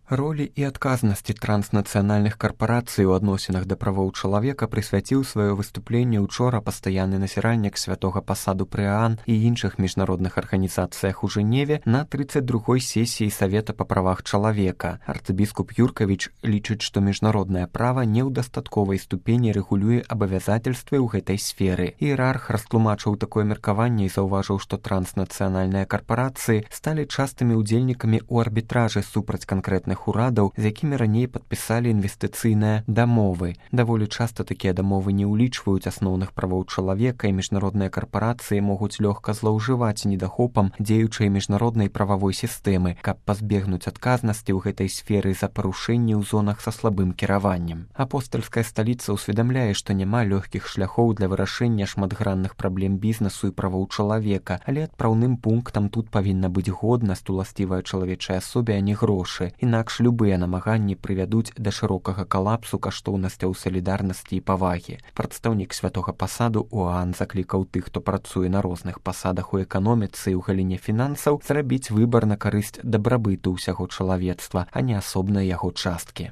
Ролі і адказнасці транснацыянальных карпарацый у адносінах да правоў чалавека прысвяціў сваё выступленне учора пастаянны назіральнік святога пасаду пры ААН і іншых міжнародных арганізацыях у Жэневе на 32-й сесіі Савета па правах чалавека. Арцыбіскуп Юркавіч лічыць, што міжнароднае права не ў дастатковай ступені рэгулюе абавязательствы ў гэтай сферы. Іерарх растлумачыў такое меркаванне і заўважыў, што транснацыянальныя карпарацыі сталі частымі ўдзельнікамі ў арбітражы супраць канкрэтных урадаў, з якімі раней падпісалі інвестыцыйныя дамовы. Даволі часта такія дамовы не ўлічваюць асноўных правоў чалавека, і міжнародныя карпарацыі могуць лёгка злоўжываць недахопам дзеючай міжнароднай прававой сістэмы, каб пазбегнуць адказнасці ў гэтай сферы за парушэнні ў зонах са слабым кіраваннем. Апостальская сталіца ўсведамляе, што няма лёгкіх шляхоў для вырашэння шматгранных праблем бізнесу і правоў чалавека, але адпраўным пунктам тут павінна быць годнасць, уласцівая чалавечай асобе, а не грошы. Інакш любыя намаганні прывядуць да шырокага калапсу каштоўнасцяў салідарнасці і павагі. Прадстаўнік святога пасаду у ААН заклікаў тых, хто працуе на розных пасадах у эканоміцы і ў галіне фінансаў, зрабіць выбар на карысць дабрабыту ўсяго чалавецтва, а не асобнай яго часткі.